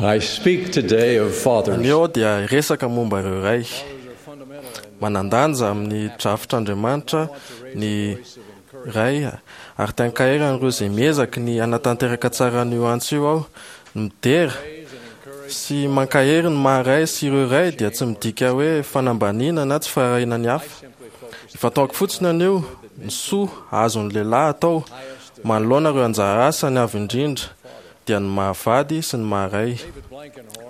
I speak today of fathers. Anio aho dia hiresaka momba ireo ray. Manan-danja amin'ny drafitr'Andriamanitra ny ray ary te hankahery an'ireo izay miezaka ny hanatanteraka tsara an'io antso io aho. Ny midera sy mankahery ny maha ray sy ireo ray dia tsy midika hoe fanambaniana na tsy firaharahiana ny hafa. Ifantohako fotsiny anio ny soa azon'ny lehilahy atao manoloana ireo anjara asany avo indrindra dia ny maha vady sy ny maha ray.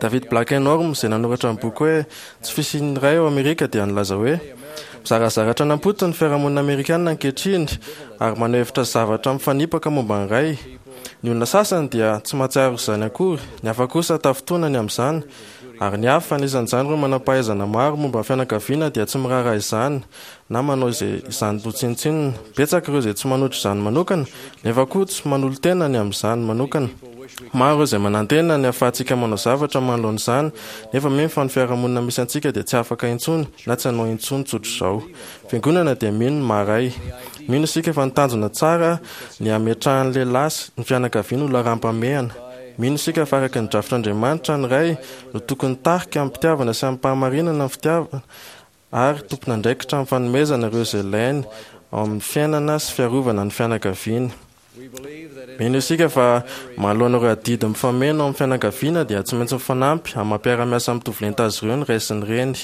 David Blankenhorn izay nanoratra ny boky hoe Tsy fisian'ny ray ao Amerika dia nilaza hoe, Mizarazara hatrany am-potony ny fiarahamonina amerikana ankehitriny ary maneho hevitra zavatra mifanipaka momba ny ray. Ny olona sasany dia tsy mahatsiaro izany akory, ny hafa kosa tafintohina ny amin'izany, ary ny hafa, anisan'izany ireo manam-pahaizana maro momba ny fianakaviana dia tsy miraharaha izany na manao izay izany ho tsinontsinona. Betsaka ireo izay tsy manohitra izany manokana, nefa koa tsy manolo-tena ny amin'izany manokana. Maro ireo izay manantena ny hahafahantsika manao zavatra manoloana izany, nefa mino fa ny fiarahamonina misy antsika dia tsy afaka intsony na tsy hanao intsony tsotr'izao. Fiangonana dia mino ny maha-ray. Mino isika fa ny tanjona tsara ny hametrahan'ny lehilahy sy ny fianakaviany ho laharam-pahamehana. Mino isika fa araka ny drafitr'Andriamanitra ny ray no tokony hitarika amim-pitiavana sy amim-pahamarinana ny fitiavana ary tompon'andraikitra amin'ny fanomezana ireo izay ilainy ao amin'ny fiainana sy fiarovana ny fianakaviany. Mino isika fa manoloana ireo adidy mifameno ao amin'ny fianakaviana dia tsy maintsy mifanampy amin'ny maha-mpiara-miasa mitovy lenta azy ireo ny ray sy ny reny.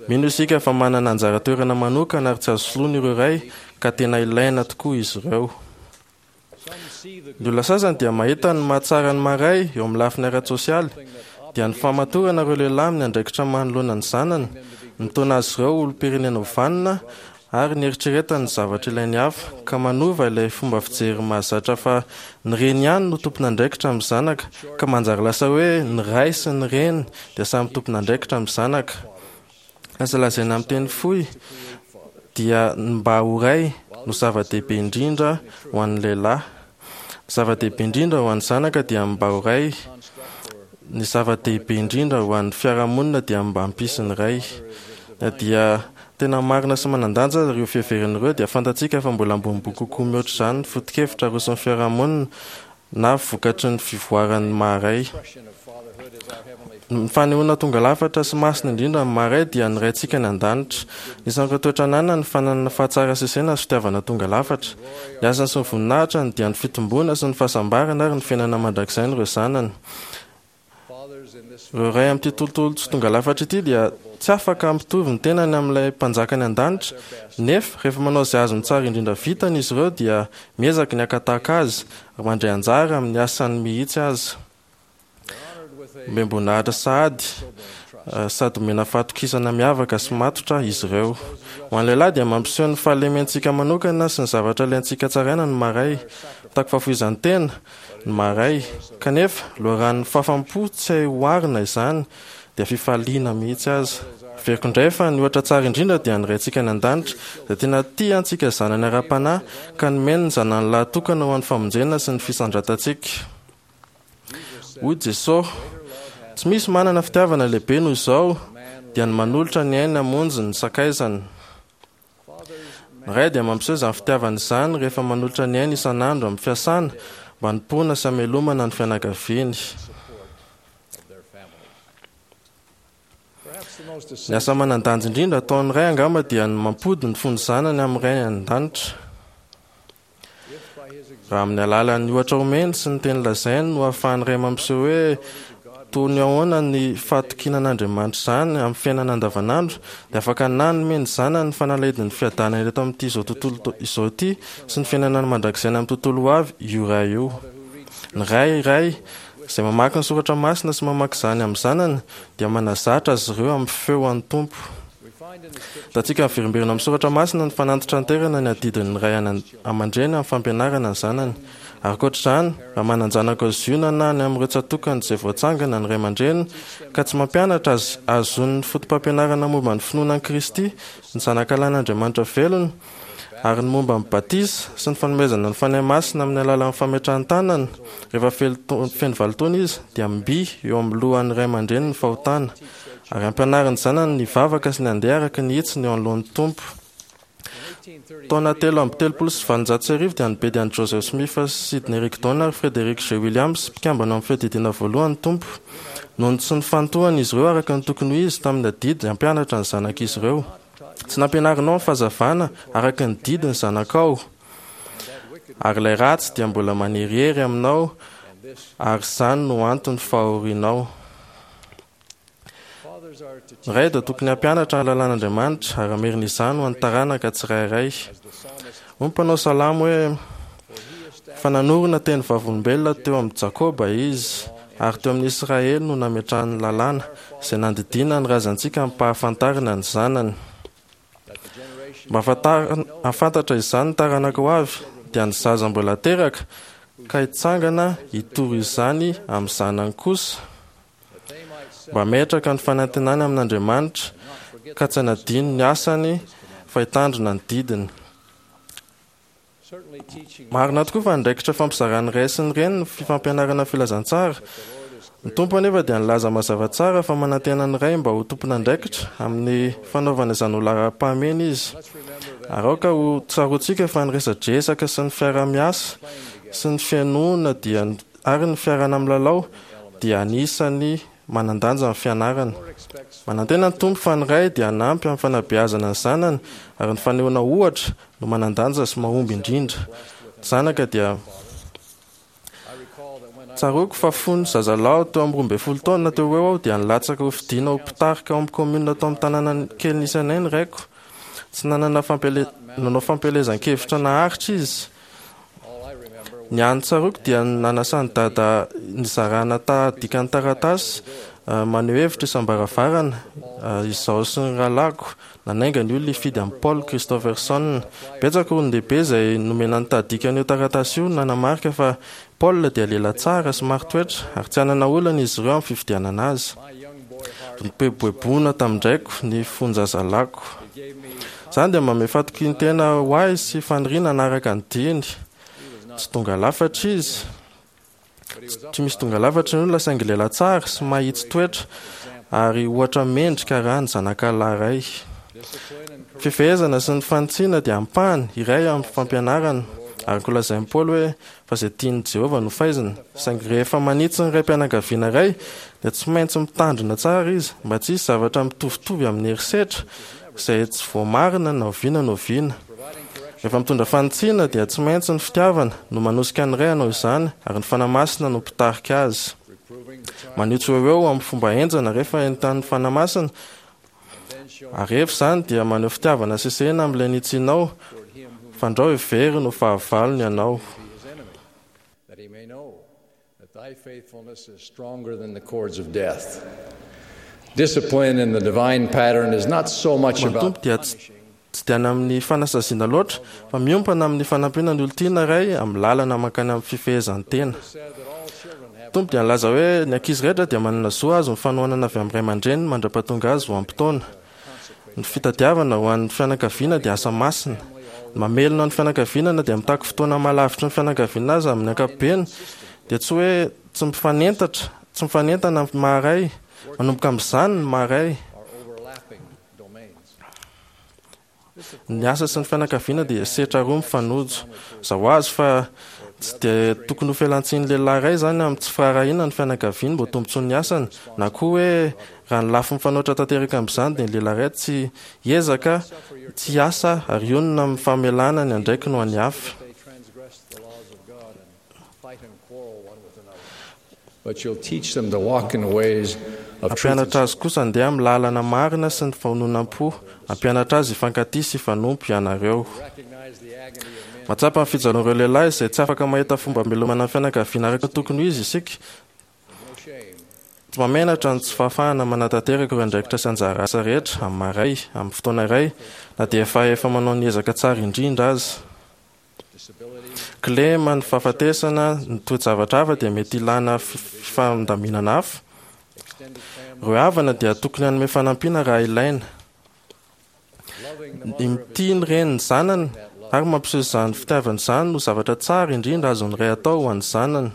Mino isika fa manana anjara toerana manokana ary tsy azo soloina ireo ray ka tena ilaina tokoa izy ireo. Ny olona sasany dia mahita ny mahatsara ny maha-ray eo amin'ny lafiny ara-tsosialy, dia ny fahamatorana ireo lehilahy amin'ny andraikitra manoloana ny zanany, ny mitaona azy ireo ho olom-pirenena ho vanona ary ny eritreretany ny zavatra ilain'ny hafa, ka manova ilay fomba fijery mahazatra fa ny reny ihany no tompon'andraikitra amin'ny zanaka, ka manjary lasa hoe ny ray sy ny reny dia samy tompon'andraikitra amin'ny zanaka. Aza lazaina amin'ny teny fohy dia ny mba ho ray no zava-dehibe indrindra ho an'ny lehilahy. Ny zava-dehibe indrindra ho an'ny zanaka dia ny mba ho ray. Ny zava-dehibe indrindra ho an'ny fiarahamonina dia ny mba hampisy ny ray. Na dia tena marina sy manan-danja aza ireo fiheverana ireo dia fantatsika fa mbola ambonimbony kokoa mihoatra izany ny foto-kevitra aroson'ny fiarahamonina na vokatry ny fivoaran'ny maha-ray. Ny fanehoana tonga lafatra sy masina indrindra amin'ny maha-ray dia ny Raintsika any An-danitra. Anisan'ireo toetra ananany ny fananana fahatsara-sesena sy fitiavana tonga lafatra. Ny asany sy ny voninahitrany dia ny fitomboana sy ny fahasambarana ary ny fiainana mandrakizain'ireo zanany. Ireo ray amin'ity tontolo tsy tonga lafatra ity dia tsy afaka hampitovy ny tenany amin'ilay Mpanjaka any an-danitra, nefa rehefa manao izay azony tsara indrindra vitany izy ireo dia miezaka ny haka tahaka azy ary mandray anjara amin'ny asany mihitsy aza. Omem-boninahitra sahady sady omena fahatokisana miavaka sy matotra izy ireo. Ho an'ny lehilahy dia mampiseho ny fahalementsika manokana sy ny zavatra ilaintsika tsaraina ny maha-ray. Mitaky fahafoizan-tena, ny maha-ray. Kanefa, loharanon'ny fahafaham-po tsy hay oharina izany, dia fifaliana mihitsy aza. Averiko indray fa ny ohatra tsara indrindra dia ny Raintsika any An-danitra, izay tena tia antsika zanany ara-panahy, ka nomeny ny Zanany lahy tokana ho an'ny famonjena sy ny fisandratantsika. Hoy Jesosy, Tsy misy manana fitiavana lehibe noho izao, dia ny manolotra ny ainy hamonjy ny sakaizany. Ny ray dia mampiseho izany fitiavana izany rehefa manolotra ny ainy isan'andro amin'ny fiasana mba hanompoana sy hamelomana ny fianakaviany. Ny asa manan-danja indrindra ataon'ny ray angamba dia ny mampody ny fon'ny zanany amin'ny Rainy any an-danitra. Raha amin'ny alalan'ny ohatra omeny sy ny teny lazainy no ahafahan'ny ray mampiseho hoe toy ny ahoana ny fahatokiana an'Andriamanitra izany amin'ny fiainana andavanandro, dia afaka nanome ny zanany ny fanalahidin'ny fiadanana eto amin'ity izao tontolo izao ity sy ny fiainana mandrakizay any amin'ny tontolo ho avy io ray io. Ny ray iray izay mamaky ny soratra masina sy mamaky izany amin'ny zanany dia manazatra azy ireo amin'ny feo an'ny Tompo. Hitantsika miverimberina amin'ny soratra masina ny fanantitranterana ny adidin'ny ray aman-dreny amin'ny fampianarana ny zanany. Ary ankoatra izany, raha manan-janaka ao Ziona na any amin'ireo tsatòkany izay voatsangana ny ray aman-dreny ka tsy mampianatra azy hahazoany ny fotopampianarana momba ny finoana an'i Kristy, ny Zanakalahin'Andriamanitra velona, Ary ny momba ny batisa sy ny fanomezana ny Fanahy Masina amin'ny alalan'ny fametrahan-tanana, rehefa feno valo taona izy, dia mby eo amin'ny lohan'ny ray aman-dreny ny fahotana, ary ampianariny zanany ny hivavaka sy ny handeha araka ny hitsiny eo anoloan'ny Tompo. Taona 1833 dia nibedy an'i Joseph Smith sy Sidney Rigdon ary Frederick G. Williams, mpikambana amin'ny Fiadidiana Voalohany, ny Tompo. Noho ny tsy nifantohan'izy ireo araka ny tokony ho izy tamin'ny adidy hampianatra ny zanak'izy ireo. Tsy nampianarinao ny fahazavana araka ny didy ny zanakao, ary ilay ratsy dia mbola manerihery aminao, ary izany no anton'ny fahorianao. Ny ray dia tokony hampianatra ny lalàn'Andriamanitra ary hamerina izany ho an'ny taranaka tsirairay. Hoy ny mpanao salamo hoe, Fa nanorina teny vavolombelona teo amin'i Jakoba Izy, ary teo amin'i Israely no nametrahany ny lalàna, izay nandidiana ny razantsika hampahafantarina ny zanany. Mba hahafantatra izany ny taranaka ho avy, dia ny zaza mbola teraka, ka hitsangana hitory izany amin'ny zanany kosa. Mba hametraka ny fanantenany amin'Andriamanitra, ka tsy hanadino ny asany fa hitandrina ny didiny. Marina tokoa fa andraikitra fampizaran'ny ray sy ny reny ny fifampianarana filazantsara. Ny Tompo anefa dia nilaza mazava tsara fa manantena ny ray mba ho tompon'andraikitra amin'ny fanaovana izany ho laharam-pahamehana izy. Ary aoka ho tsaroantsika fa ny resadresaka sy ny fiaraha-miasa sy ny fihainoana dia ary ny fiarahana milalao dia anisan'ny manan-danja amin'ny fianarana. Manantena ny Tompo fa ny ray dia hanampy amin'ny fanabeazana ny zanany ary ny fanehoana ohatra no manan-danja sy mahomby indrindra. Ny zanaka dia Tsaroako fa fony zazalahy teo amin'ny 12 taona teo ho eo aho dia nilatsaka ho fidiana ho mpitarika ao amin'ny commune tao amin'ny tanàna kely nisy anay ny raiko. Tsy nanana fampiele nanao fampielezan-kevitra naharitra izy. Ny hany tsaroako dia ny nanasan'i Dada nizarana tahadikan'ny taratasy maneho hevitra isam-baravarana, izaho sy ny rahalahiko. Nanainga ny olona hifidy an'i Paul Christofferson. Betsaka olon-dehibe izay nomena ny tahadikan'io taratasy io nanamarika fa Paul dia lehilahy tsara sy marin-toetra ary tsy hanana olana izy ireo amin'ny fifidianana azy. Nipoepoeboana tamin-draiko ny fon-jazalahiko. Izany dia manome fatokian-tena ho ahy sy faniriana hanaraka ny diany. Tsy tonga lafatra izy. Tsy misy tonga lafatra ny olona saingy lehilahy tsara sy mahitsy toetra ary ohatra mendrika raha ny zanakalahy iray. Fifehezana sy ny fanitsiana dia ampahany iray amin'ny fampianarana, araka ny lazain'i Paoly hoe fa izay tian'i Jehovah no faizina. Saingy rehefa manitsy ny raim-pianakaviana iray dia tsy maintsy mitandrina tsara izy mba tsy hisy zavatra mitovitovy amin'ny herisetra izay tsy voamarina na oviana na oviana. Rehefa mitondra fanitsiana dia tsy maintsy ny fitiavana no manosika ny ray hanao izany ary ny Fanahy Masina no mpitarika azy. Maneho tsy ho eo eo amin'ny fomba henjana rehefa entanin'ny Fanahy Masina ary rehefa izany dia maneho fitiavana sesehena amin'ilay nitsianao fandrao heveriny ho fahavalony ianao. That thy faithfulness is stronger than the cords of death. Discipline in the divine pattern is not so much Ny Tompo about dia tsy tsy dia any amin'ny fanasaziana loatra fa miompana amin'ny fanampiana ny olon-tiana iray amin'ny lalana mankany amin'ny fifehezan-tena. Ny Tompo dia nilaza hoe ny ankizy rehetra dia manana zo hahazo ny fanohanana avy amin'ny ray aman-dreniny mandra-pahatonga azy ho ampy taona. Ny fitadiavana ho an'ny fianakaviana dia asa masina. Ny mamelona ny fianakaviana na dia mitaky fotoana maha-lavitry ny fianakaviana aza amin'ny ankapobeny dia tsy hoe tsy mifanentatra, tsy mifanentana amin'ny maha-ray. Manomboka amin'izany ny maha-ray. Ny asa sy ny fianakaviana dia setra roa mifanojo. Zao azy fa tsy dia tokony ho fialantsiny lehilahy iray izany amin'ny tsy firaharahiana ny fianakaviany mba ho tombontsoan'ny asany, na koa hoe raha ny lafiny fanoitra tanteraka amin'izany dia ny lehilahy iray tsy hiezaka tsy hiasa ary hionona amin'ny famelana ny andraikiny ho an'ny hafa. Hampianatra azy kosa handeha amin'ny lalana marina sy ny fahononam-po. Hampianatra azy hifankatia sy hifanompo ianareo. Mahatsapa ny fijalian'ireo lehilahy izay tsy afaka mahita fomba hamelomana ny fianakaviana araka ny tokony ho izy isika. Tsy mahamenatra ny tsy fahafahana manatanteraka ireo andraikitra sy anjara asa rehetra amin'ny maha ray, amin'ny fotoana iray, na dia efa efa manao ny ezaka tsara indrindra aza. Kilema, ny fahafatesana, ny toe-javatra hafa dia mety hilana fifandaminana hafa. Ireo havana dia tokony hanome fanampiana raha ilaina. Ny mitia ny reny ny zanany ary mampiseho izany fitiavana izany no zavatra tsara indrindra azon'ny ray atao ho an'ny zanany.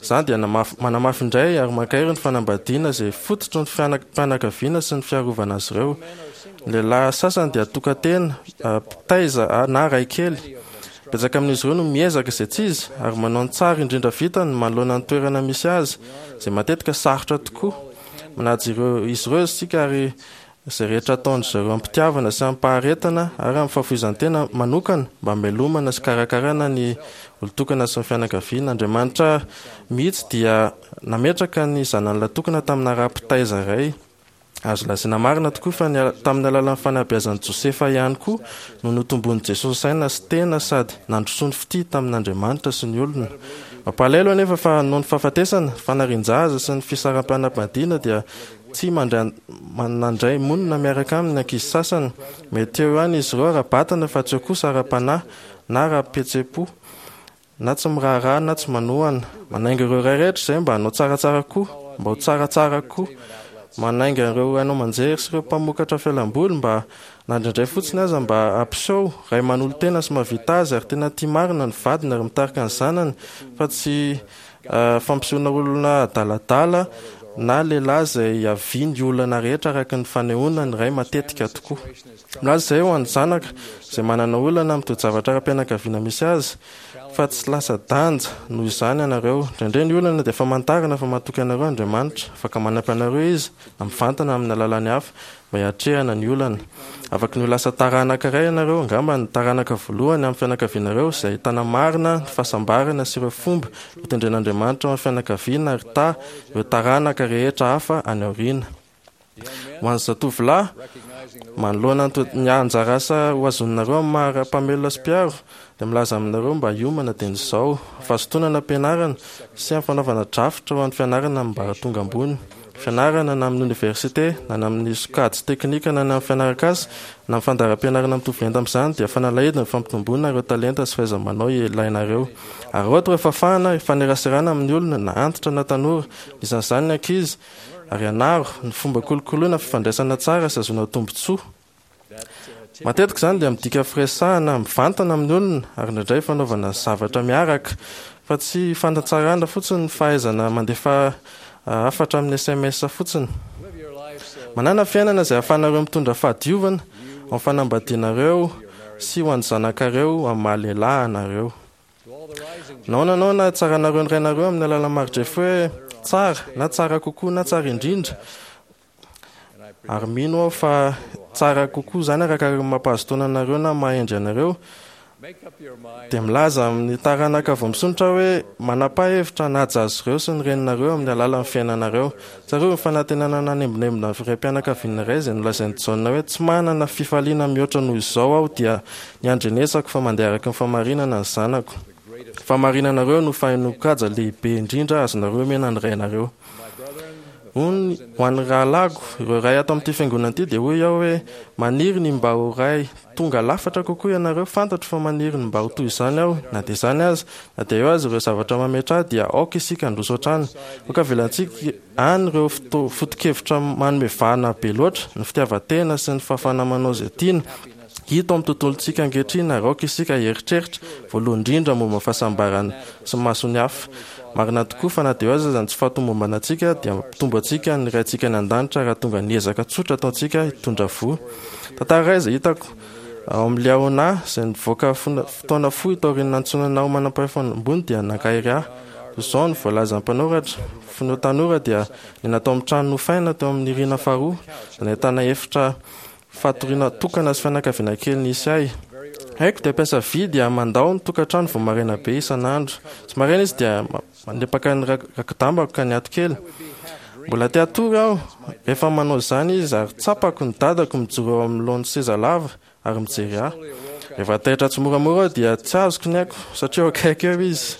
Izany dia manamafy indray ary mankahery ny fanambadiana izay fototry ny fianakaviana sy ny fiarovana azy ireo. Ny lehilahy sasany dia tokan-tena, mpitaiza na ray kely. Betsaka amin'izy ireo no miezaka izay tsy izy ary manao ny tsara indrindra vitany manoloana ny toerana misy azy, izay matetika sarotra tokoa. Manaja ireo izy ireo isika ary izay rehetra ataon-dry zareo amim-pitiavana sy amim-paharetana ary amin'ny fahafoizan-tena manokana mba hamelomana sy hikarakarana ny olon-tokana sy ny fianakaviana. Andriamanitra mihitsy dia nametraka ny zanany lahy tokana tamina raha-mpitaiza iray. Azo lazaina marina tokoa fa ny tamin'ny alalan'ny fanabeazan'i Josefa ihany koa no notomboin'i Jesosy saina sy tena sady nandrosoany fitia tamin'Andriamanitra sy ny olona. Mampalahelo anefa fa noho ny fahafatesana, fanarian-jaza sy ny fisaraham-panambadiana dia tsy nandray monina miaraka aminy ny ankizy sasany. Mety eo ihany izy ireo ara-batana fa tsy eo kosa ara-panahy na ara-pihetseham-po. Na tsy miraharaha na tsy manohana. Manainga ireo ray rehetra izay mba hanao tsaratsara koa, mba ho tsaratsara koa. Manainga ireo haino aman-jery sy ireo mpamokatra fialamboly mba, na indraindray fotsiny aza, mba hampiseho ray manolo-tena sy mahavita azy ary tena tia marina ny vadiny ary mitarika ny zanany fa tsy fampisehoana olona adaladala na lehilahy izay hiaviany olana rehetra araka ny fanehoana ny ray matetika tokoa. Milaza izay ho an'ny zanaka izay manana olana amin'ny toe-javatra ara-pianakaviana misy azy fa tsy lasa-danja noho izany ianareo. Indraindray ny olana dia famantarana fa matoky anareo Andriamanitra. Afaka manampy anareo Izy na mivantana amin'ny alalan'ny hafa mba hiatrehana ny olana. Afaky ny ho lasa taranaka iray ianareo, angamba ny taranaka voalohany amin'ny fianakavianareo izay ahitana marina ny fahasambarana sy ireo fomba notendren'Andriamanitra ho an'ny fianakaviana ary ta ireo taranaka rehetra hafa any aoriana. Ho an'ny zatovolahy, manoloana ny anjara asa ho azoninareo amin'ny maha mpamelona sy mpiaro, dia milaza aminareo mba hiomana dieny izao, fahazotoana am-pianarana sy amin'ny fanaovana drafitra ho an'ny fianarana amin'ny ambaratonga ambony. Fianarana na amin'ny oniversite, na ny amin'ny sokajy teknika na ny amin'ny fianaran-kasa, na amin'ny fandaharam-pianarana mitovy lenta amin'izany dia fanalahidy ny fampitomboana ireo talenta sy fahaiza-manao ilainareo. Araraoty ireo fahafahana hifaneraserana amin'ny olona, na antitra na tanora, anisan'izany ny ankizy, ary ianaro ny fomba kolokoloina fifandraisana tsara sy ahazoana tombontsoa. Matetika izany dia midika firesahana mivantana amin'ny olona ary indraindray fanaovana zavatra miaraka, fa tsy fanatsarana fotsiny ny fahaizana mandefa hafatra amin'ny sms fotsiny. Manàna fiainana izay ahafahanareo mitondra fahadiovana ao amin'ny fanambadianareo sy ho an'ny zanakareo amin'ny maha-lehilahy anareo. Nahoana nahoana hatsaranareo ny rainareo amin'ny alalan'ny mari-drefy hoe tsara na tsara kokoa na tsara indrindra? Ary mino aho fa tsara kokoa izany araka ny mampahazo taona anareo na maha-hendry anareo. Dia milaza amin'ny taranaka vao misondrotra aho hoe manapaha hevitra hanaja azy ireo sy ny reninareo amin'ny alalan'ny fiainanareo. Tsarovy ny fanantenana nanembonembona ny raim-pianakaviana iray izay nolazain'i Jaona hoe tsy manana fifaliana mihoatra noho izao aho dia Ny handrenesako fa mandeha araka ny fahamarinana ny zanako. Ny fahamarinanareo no fahenoan-kaja lehibe indrindra azonareo omena ny rainareo. Hoy ho an'ny rahalahiko, ireo ray ato amin'ity fiangonana ity, dia hoy aho hoe, Maniry ny mba ho ray tonga lafatra kokoa ianareo, fantatro fa maniry ny mba ho toy izany aho, na dia izany aza, na dia eo aza ireo zavatra mametra ahy, dia aoka isika handroso hatrany. Aoka avelantsika any ireo foto-kevitra manome vahana be loatra, ny fitiavan-tena sy ny fahafahana manao izay tiana, Hita ao amin'ny tontolontsika ankehitriny ary aoka isika hieritreritra voalohany indrindra momba ny fahasambarana sy ny mason'ny hafa. Marina tokoa fa na dia eo aza ny tsy fahatomombanantsika dia mampitombo antsika ny Raintsika any An-danitra raha tonga ny ezaka tsotra ataontsika hitondra voa. Tantara iray izay hitako ao amin'ny Liahona izay nivoaka fotoana fohy taorian'ny nantsoina ho manampahefana ambony dia nankahery ahy. Toy izao no voalazan'ny mpanoratra, Fony tanora dia niaina tao amin'ny trano nofaina teo amin'ny rihana faharoa izay nahitana efitra Fatoriana tokana sy fianakaviana kely nisy ahy. Haiko dia mpiasa vy dia mandao ny tokantrano vao maraina be isan'andro. Tsy maraina izy dia mandripaka ny raki-dambako ka niato kely. Mbola te hatory aho rehefa manao izany izy ary tsapako ny dadako mijoro eo anoloan'ny seza lava ary mijery ahy. Rehefa taitra tsimoramora aho dia tsy azoko ny aiko satria eo akaiky eo izy.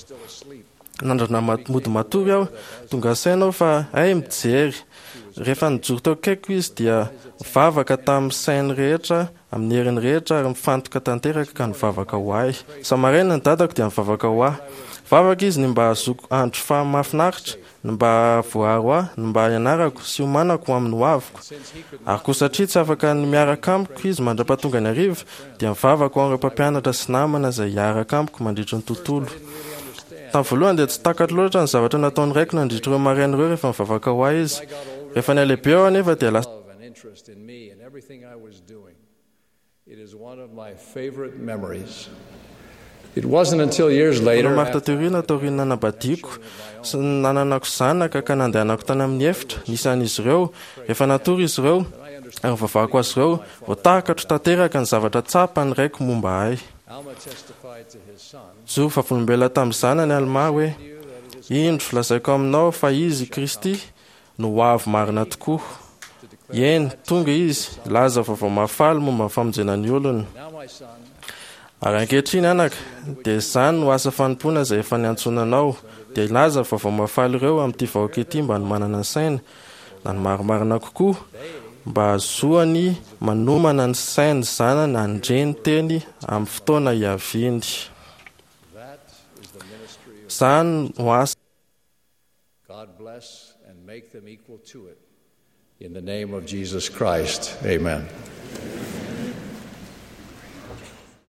Nandrana mody matory aho, tonga saina aho fa hay mijery. Rehefa nijoro teo akaikiko izy dia nivavaka tamin'ny sainy rehetra, amin'ny heriny rehetra ary mifantoka tanteraka ka nivavaka ho ahy. Isa-maraina ny dadako dia nivavaka ho ahy. Nivavaka izy ny mba hahazoako andro faha mahafinaritra, ny mba hahavoaaro ahy, ny mba hianarako sy hiomanako ho amin'ny hoaviko. Ary koa satria tsy afaka ny miaraka amiko izy mandra-pahatonga ny hariva, dia mivavaka ho an'ireo mpampianatra sy namana izay hiaraka amiko mandritry ny tontolo. Tamin'ny voalohany dia tsy takatro loatra ny zavatra nataon'ny raiko nandritra ireo maraina ireo rehefa nivavaka ho ahy izy. Rehefa nihalehibe aho anefa dia lasa love and interest in me and everything I was doing. It is one of my favorite memories. It wasn't until years later, Maro taty aoriana taorian'ny nanambadiako sy ny nananako zanaka ka nandehanako tany amin'ny efitra nisy an'izy ireo. Rehefa natory izy ireo ary nivavahako azy ireo, vao takatro tanteraka ny zavatra tsapan'ny raiko momba ahy. Alma testified to his son, Nijoro vavolombelona tamin'ny zanany Alma hoe: "Indro, lazaiko aminao fa izy Kristy no ho avy marina tokoa. Eny, tonga izy, hilaza vaovao mahafaly momba ny famonjena ny olona. Now, my son, Ary ankehitriny anaka, dia izany no asa fanompoana izay efa niantsoana anao, dia hilaza vaovao mahafaly ireo amin'ity vahoaka ity mba hanomanana ny saina, na ny marimarina kokoa, mba hahazoany manomana ny sain'ny zanany handre ny teny amin'ny fotoana hiaviany. that is the ministry of Izany no asa God. Bless and make them equal to it. In the name of Jesus Christ, amen.